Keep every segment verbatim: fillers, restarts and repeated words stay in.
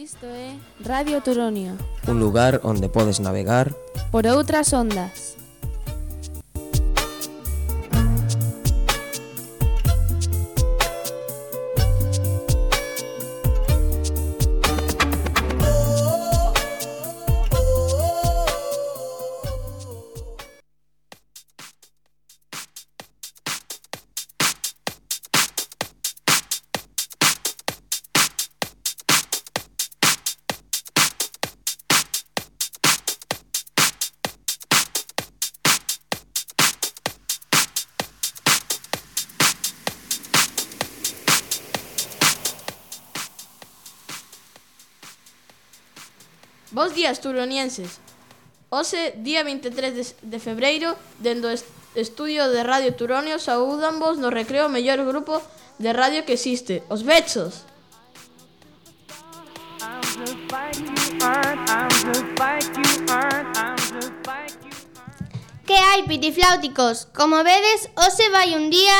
Isto é Radio Turonio, un lugar onde podes navegar por outras ondas. Bos días, turonienses. Hoxe, día vinte e tres de febreiro, dende o estudio de Radio Turonio, saúdanvos no recreo o mellor grupo de radio que existe, os Bechos. Que hai, pitifláuticos? Como vedes, hoxe vai un día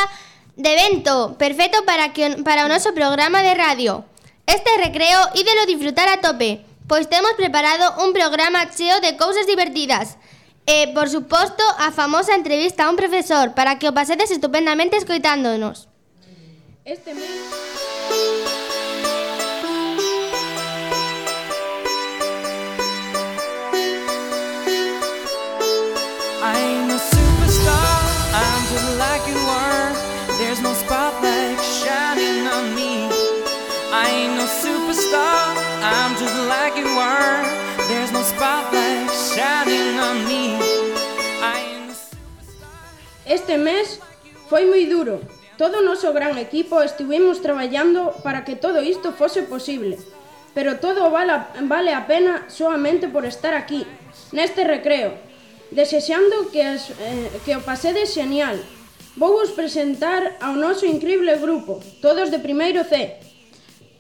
de vento, perfecto para, que, para o noso programa de radio. Este recreo ídelo disfrutar a tope, pois temos preparado un programa cheo de cousas divertidas e, por suposto, a famosa entrevista a un profesor para que o pasedes estupendamente escoitándonos. Este mes... I ain't no superstar, I'm just like you are. There's no spotlight shining on me. I ain't no superstar, I'm just like you are. There's no spotlight shining on me. I ain't no superstar. Este mes foi moi duro. Todo o noso gran equipo estivemos traballando para que todo isto fose posible. Pero todo vale a, vale a pena soamente por estar aquí, neste recreo, desexando que, as, eh, que o pasedes xenial. Vou vos presentar ao noso increíble grupo, todos de primeiro C.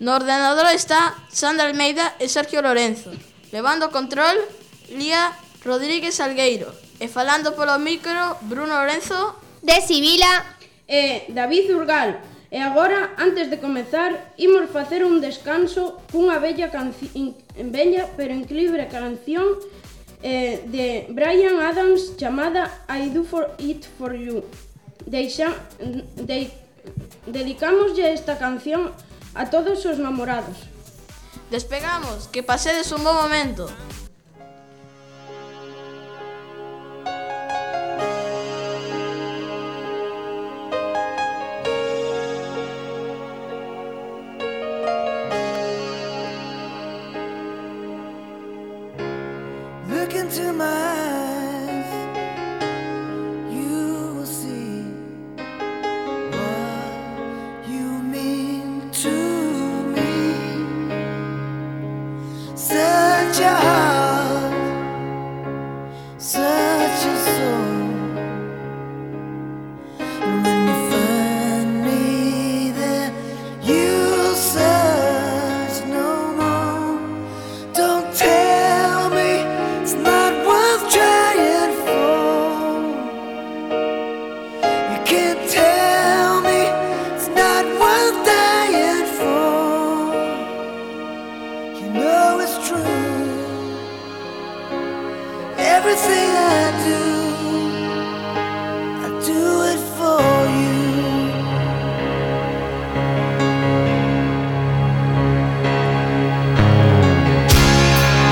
No ordenador está Sandra Almeida e Sergio Lorenzo. Levando o control, Lía Rodríguez Salgueiro. E falando polo micro, Bruno Lorenzo de Sibila e David Urgal. E agora, antes de comezar, imos facer un descanso cunha bella, canci- bella pero increíble canción eh, de Bryan Adams chamada I Do For It For You. Deixa, de, dedicámoslle esta canción a todos os namorados. Despegamos, que pasedes un bon momento. Look into my eyes, you will see what you mean to me. Such a heart, such a soul. And when you find me there, you'll search no more. Don't tell me it's not worth trying for. You can't tell me it's not worth dying for. You know it's true. Everything I do, I do it for you.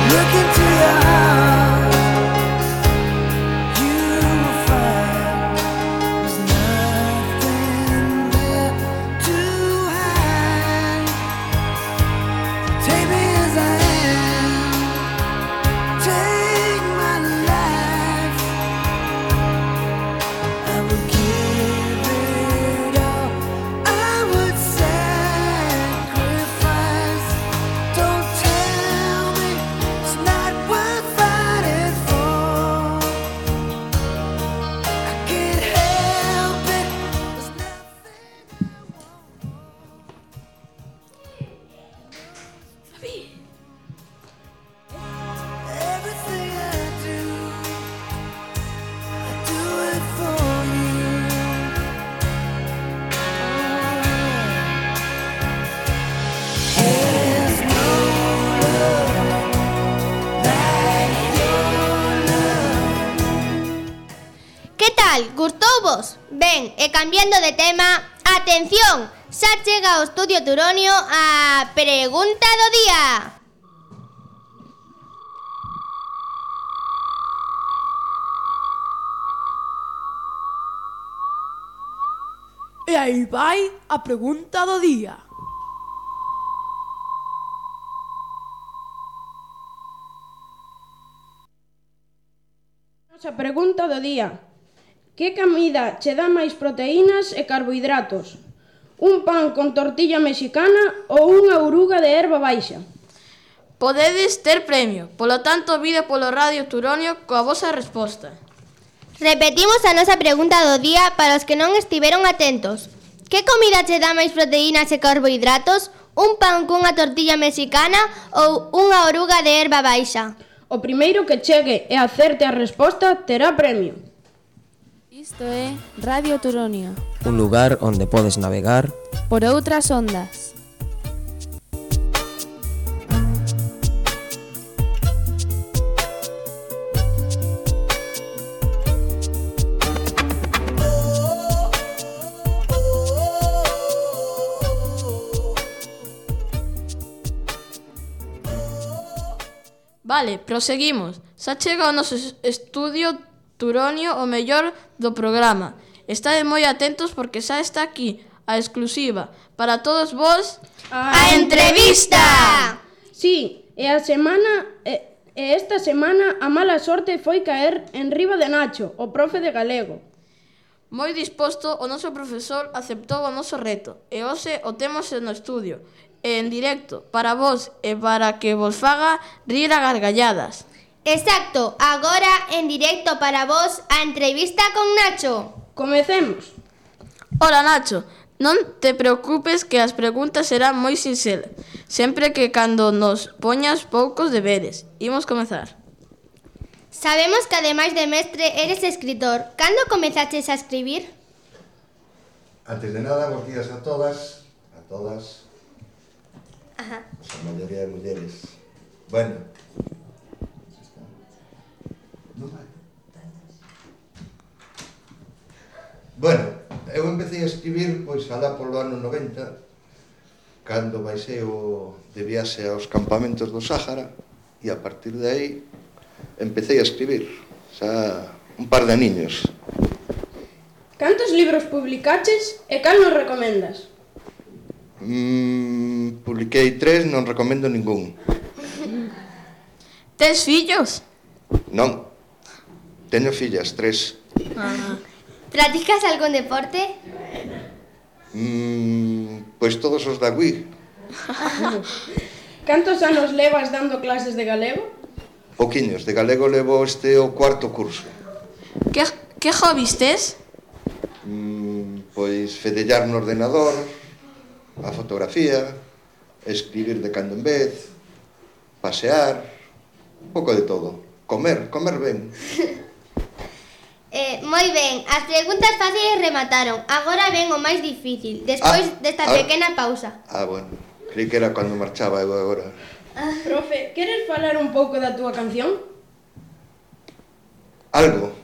Look into your heart, you will find there's nothing there to hide. Take me as I am, take my life. I would give it all, I would sacrifice. Don't tell me it's not worth fighting for. I can't help it. There's nothing. Everything I do, I do it for you. There's no Ben, e cambiando de tema, atención, xa chega ao Estudio Turonio a pregunta do día. E aí vai a pregunta do día. Nosa pregunta do día. Que comida che dá máis proteínas e carbohidratos? Un pan con tortilla mexicana ou unha oruga de herba baixa? Podedes ter premio, polo tanto, vide polo Radio Turonio coa vosa resposta. Repetimos a nosa pregunta do día para os que non estiveron atentos. Que comida che dá máis proteínas e carbohidratos? Un pan cunha tortilla mexicana ou unha oruga de herba baixa? O primeiro que chegue e acerte a resposta terá premio. Isto é Radio Turonio. Un lugar onde podes navegar Por outras ondas. Vale, proseguimos. Xa chega o noso estudio Turonio o mellor do programa. Estade moi atentos porque xa está aquí a exclusiva para todos vos A entrevista! Sí, e a semana e, e esta semana a mala sorte foi caer en riba de Nacho, o profe de galego. Moi disposto, o noso profesor aceptou o noso reto e hoxe o temos no estudio, e en directo, para vos e para que vos faga rir a gargalladas. Exacto, agora en directo para vos a entrevista con Nacho. Comecemos. Ola, Nacho, non te preocupes que as preguntas serán moi sinxelas, sempre que cando nos poñas poucos deberes. Imos comezar. Sabemos que ademais de mestre eres escritor. Cando comezaches a escribir? Antes de nada, bons días a todas, a todas. Ajá. A maioría de mulleres. Bueno. Non vai. Bueno, eu empecé a escribir pois alá polo ano noventa, cando baixei o de viaxe aos campamentos do Sáhara, e a partir de aí empecé a escribir, xa un par de aniños. Cantos libros publicaches e cal nos recomendas? Mm, publiquei tres, non recomendo ningún. Tes fillos? Non, teño fillas, tres. Ah. Practicas algún deporte? Mm, pois todos os da Wii. Cantos anos levas dando clases de galego? Pouquiños, de galego levo este o cuarto curso. Que, que hobbies tes? Mm, pois fedellar no ordenador, a fotografía, escribir de cando en vez, pasear, un pouco de todo. Comer, comer ben. Eh, moi ben, as preguntas fáciles remataron. Agora ven o máis difícil, despois Ah, desta ah. pequena pausa. Ah, bueno, creí que era cando marchaba eu agora. Profe, queres falar un pouco da túa canción? Algo,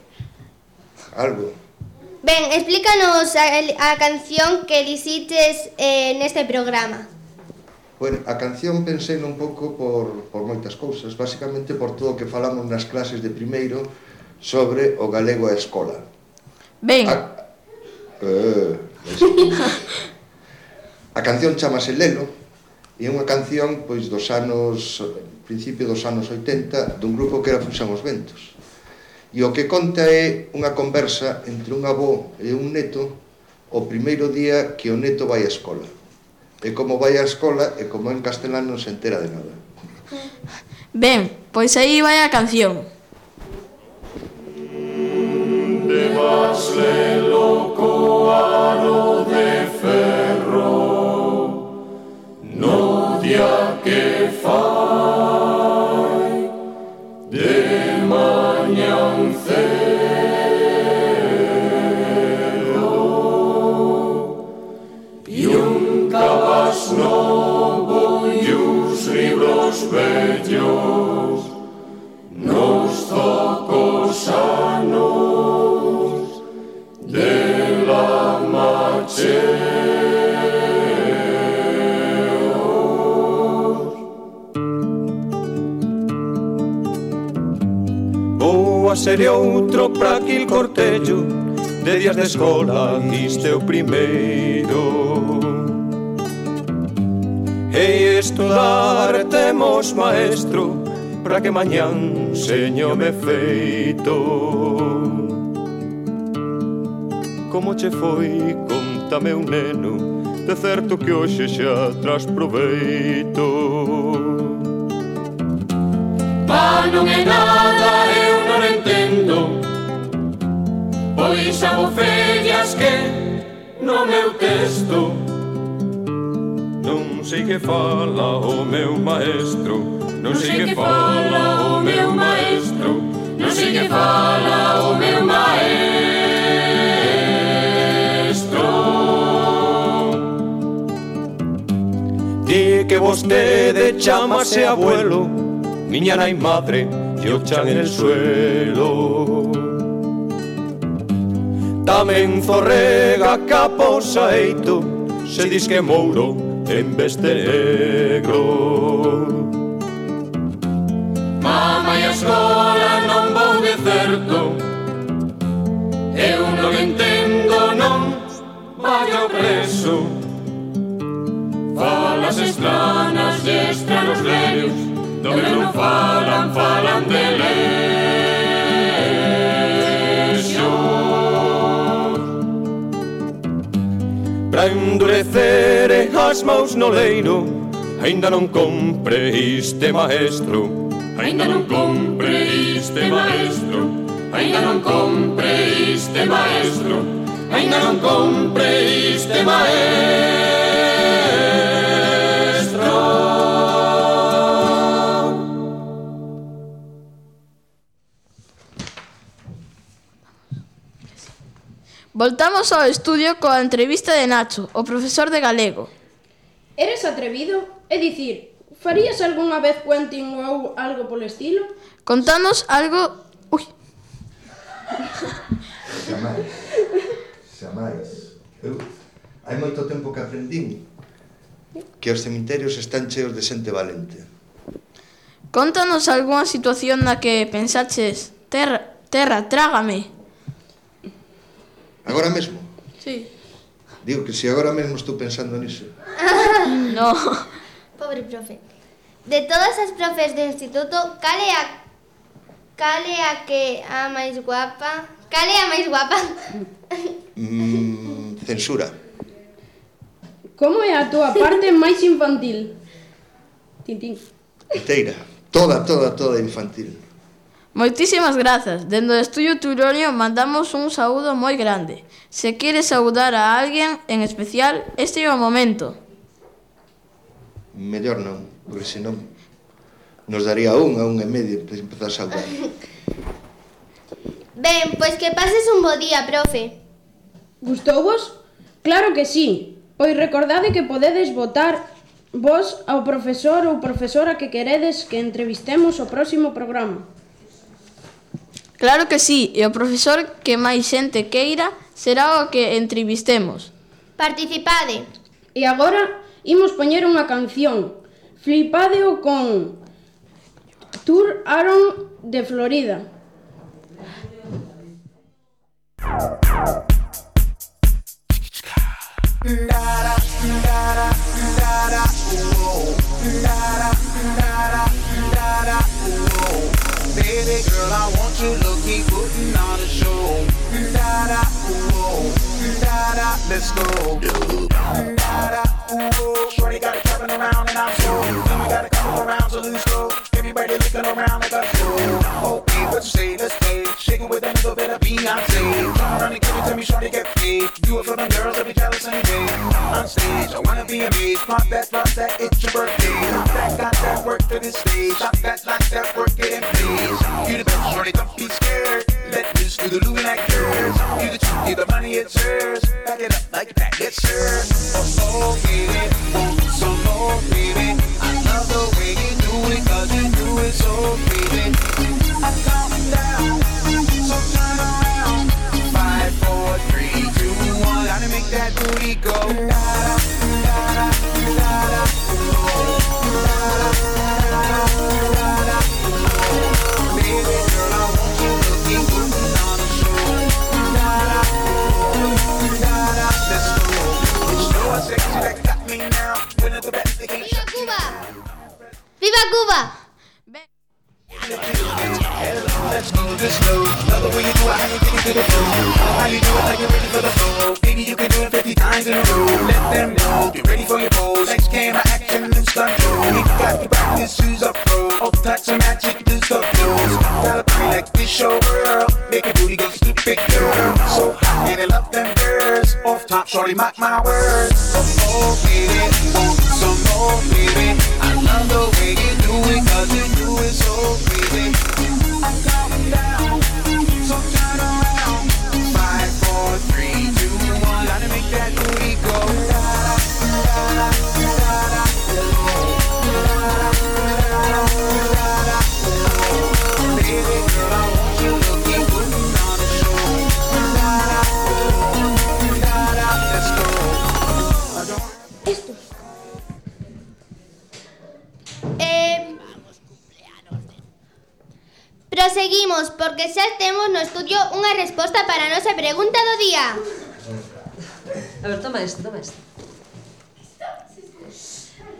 algo. Ben, explícanos a, a canción que elixites eh, neste programa. Bueno, a canción pensei un pouco por, por moitas cousas, basicamente por todo o que falamos nas clases de primeiro sobre o galego e a escola. Ben, A, eh, a canción chamase Lelo e é unha canción pois dos anos, principio dos anos oitenta, dun grupo que era Fuxan os Ventos. E o que conta é unha conversa entre un avó e un neto o primeiro día que o neto vai á escola. E como vai á escola e como en castelán non se entera de nada. ben, pois aí vai a canción. Debas lelo co aro de ferro no día que fai de mañan cedo e un cabas novo e os libros vellos nos tocos anos de la Rúa sería outro pra aquil cortello de días de escola, isto é o primeiro. Hei estudar, temos maestro, para que mañán señome feito. Como che foi, contame un neno, de certo que hoxe xa tras proveito. Pa non é nada, eu non entendo, pois abofellas que no meu texto. Non sei que fala o meu maestro, non sei que fala o meu maestro, non sei que fala o meu maestro. Di que vostede chamase abuelo, miña nai madre e o chan en el suelo. Tamén zorrega capo saeito, se dis que mouro en vez de negro. Mama e a escola non vou de certo, eu non entendo, non vaio preso. Falas estranas e estranos lerios, do que non falan, falan de lexo. Pra endurecer as maus no leiro, aínda non compre este maestro, aínda non compre este maestro, aínda non compre este maestro, aínda non compre este maestro. Voltamos ao estudio coa entrevista de Nacho, o profesor de galego. Eres atrevido? É dicir, farías algunha vez puenting ou algo polo estilo? Contanos algo... Ui. Xamais. Xamais. Eu, hai moito tempo que aprendín que os cemiterios están cheos de xente valente. Contanos algunha situación na que pensaches, terra, terra, trágame. Agora mesmo? Sí. Digo que se agora mesmo estou pensando niso. No. Pobre profe. De todas as profes do instituto, cal é a cal é a que a máis guapa? Cal é a máis guapa? Mm, censura. Como é a túa parte máis infantil? Tintín. Inteira. Toda, toda, toda infantil. Moitísimas grazas. Dende o Estudio Turonio mandamos un saúdo moi grande. Se queres saudar a alguén en especial, este é o momento. Mellor non, porque senón nos daría un a un e medio para empezar a saudar. Ben, pois que pases un bo día, profe. Gustouvos? Claro que sí. Pois recordade que podedes votar vos ao profesor ou profesora que queredes que entrevistemos o próximo programa. Claro que sí, e o profesor que máis xente queira será o que entrevistemos. Participade. E agora imos poñer unha canción. Flipadeo con Tour Aaron de Florida. Baby girl, I want you to keep putting on a show. Da-da, ooh, da-da, let's go. Da-da, ooh, shorty got it jumping around and I'm so. We got it coming around, so loose go. Everybody looking around like a show. Okay, what you say, let's play. Shaking with a little bit of Beyonce. Come around and give it to me, shorty, get paid. Do it for them girls that be jealous any day. On stage, I wanna be amazed. Pop that, pop that, it's your birthday. Pop that, got that work to this stage. Pop that, like that, work it in place. You the best, shorty, don't be scared. Let loose do the Louis like yours. You the truth, you the money, it's yours. Back it up like that, it's yours. Oh, oh, baby, want some more, baby. I love the way you do it, cause you do it so, baby. I'm counting down, so turn around. Five, four, three, two, one. Gotta make that booty go. Da-da, da-da, da-da, oh, da-da, da-da, da-da, oh. Baby girl, I want you to ¡Viva Cuba! Let's go this slow. Love the way you do it, how you take it to the floor. How you do it, how you ready for the floor. Baby, you can do it fifty times in a row. Let them know, get ready for your pose. Next camera action and stunt show. You got to practice, shoes up pro. All types of magic, do stuff close. Gotta play like this show girl. Make a booty go stupid girl. So hot and I love them girls. Off top, shorty, mock my words. So more, baby, so more, baby. I love the way you do it, cause you do it so crazy. I'm coming down, so turn around. Five, four, three, two, one. Gotta make that booty go. Baby girl, I want you looking good on the show. Let's go. Esto. Eh... Proseguimos, porque xa temos no estudio unha resposta para a nosa pregunta do día. A ver, toma isto, toma isto.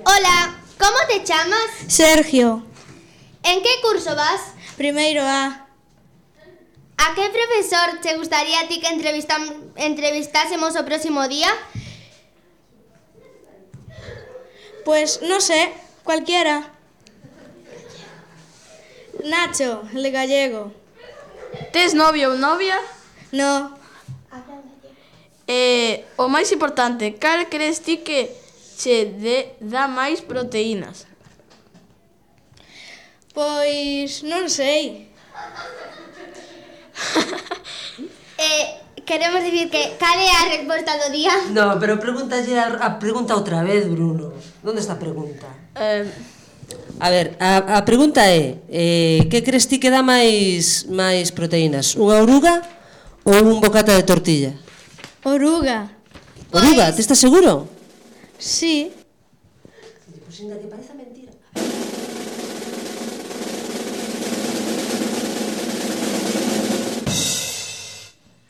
Hola, como te chamas? Sergio. En que curso vas? Primeiro A. A que profesor te gustaría a ti que entrevistam- entrevistásemos o próximo día? Pues no sé, cualquiera. Nacho, el de gallego. Tes novio ou novia? No. Eh, o máis importante, cal crees ti que che de, dá máis proteínas? Pois non sei. eh, queremos dicir que cal é a resposta do día? No, pero pregúntalle a, a pregunta outra vez, Bruno. Onde está a pregunta? Eh... A ver, a, a pregunta é eh, que crees ti que dá máis máis proteínas? Unha oruga ou un bocata de tortilla? Oruga. Oruga, te estás seguro? Sí. Pois ainda que parece mentira.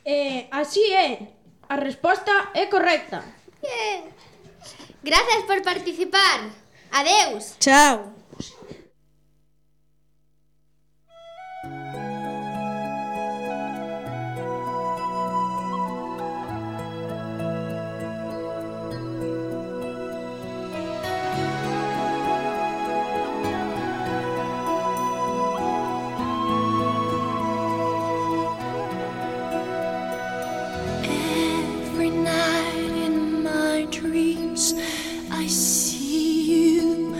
Eh, así é. A resposta é correcta. Bien. Gracias por participar. Adeus. Chao. Every night in my dreams I see you,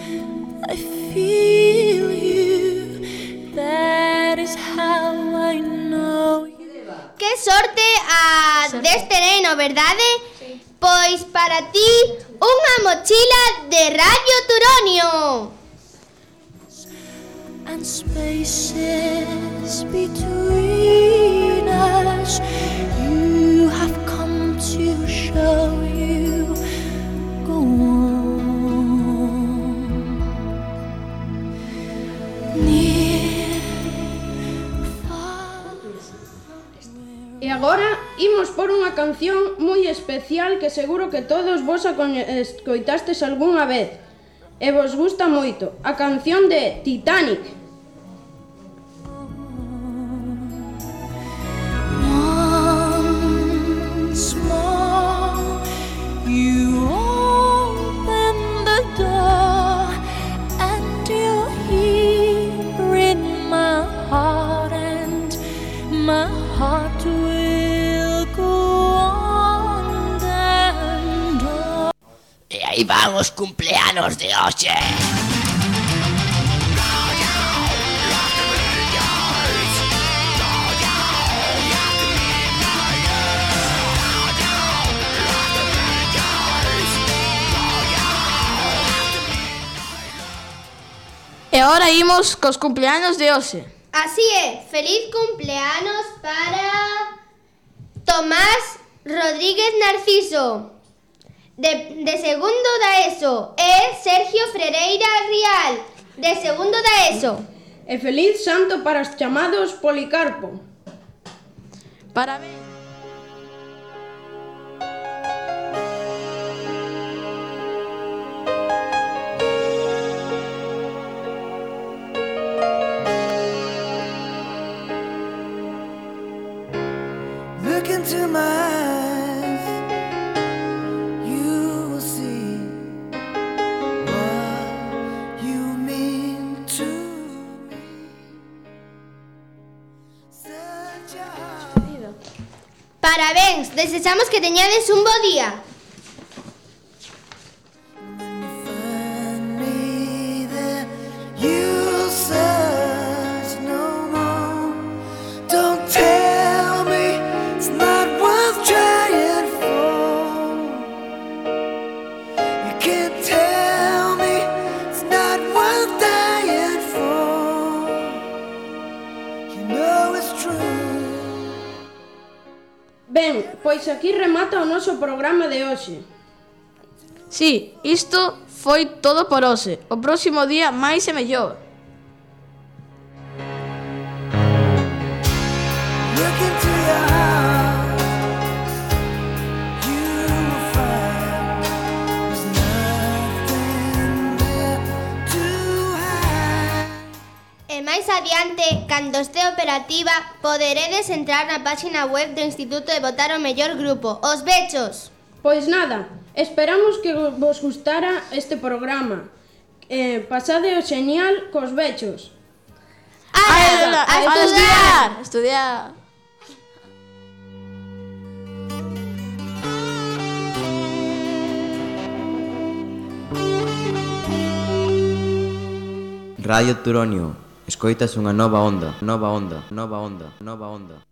I feel you. That is how I know you. Que sorte a deste neno, verdade? Sí. Pois para ti unha mochila de Radio Turonio. And spaces between us, you have come to show you. Go on. Near, far. E agora imos por unha canción moi especial que seguro que todos vos a coñe- escoitastes algunha vez e vos gusta moito. A canción de Titanic. Once more, you open the door, and you're here in my heart, and my heart will go on and on. E aí van os cumpleanos de hoxe. E agora imos cos cumpleanos de hoxe. Así é, feliz cumpleanos para Tomás Rodríguez Narciso, de, de segundo da ESO, e Sergio Frereira Rial, de segundo da ESO. E feliz santo para os chamados Policarpo. Parabéns. Parabéns, desexamos que teñades un bo día. You'll search no more. Don't tell me it's not worth trying for. You can't tell me it's not worth dying for. You know it's true. Ben, pois aquí remata o noso programa de hoxe. Sí, isto foi todo por hoxe. O próximo día máis e mellor. Look into your heart. You will find there's nothing there to hide. E máis adiante, cando este operativa, poderedes entrar na páxina web do Instituto e votar o mellor grupo, os Bechos. Pois nada, esperamos que vos gustara este programa. Eh, pasade o xenial cos Bechos. A, a, a estudiar! Estudiar! Radio Turonio, escoitas unha nova onda, nova onda, nova onda, nova onda.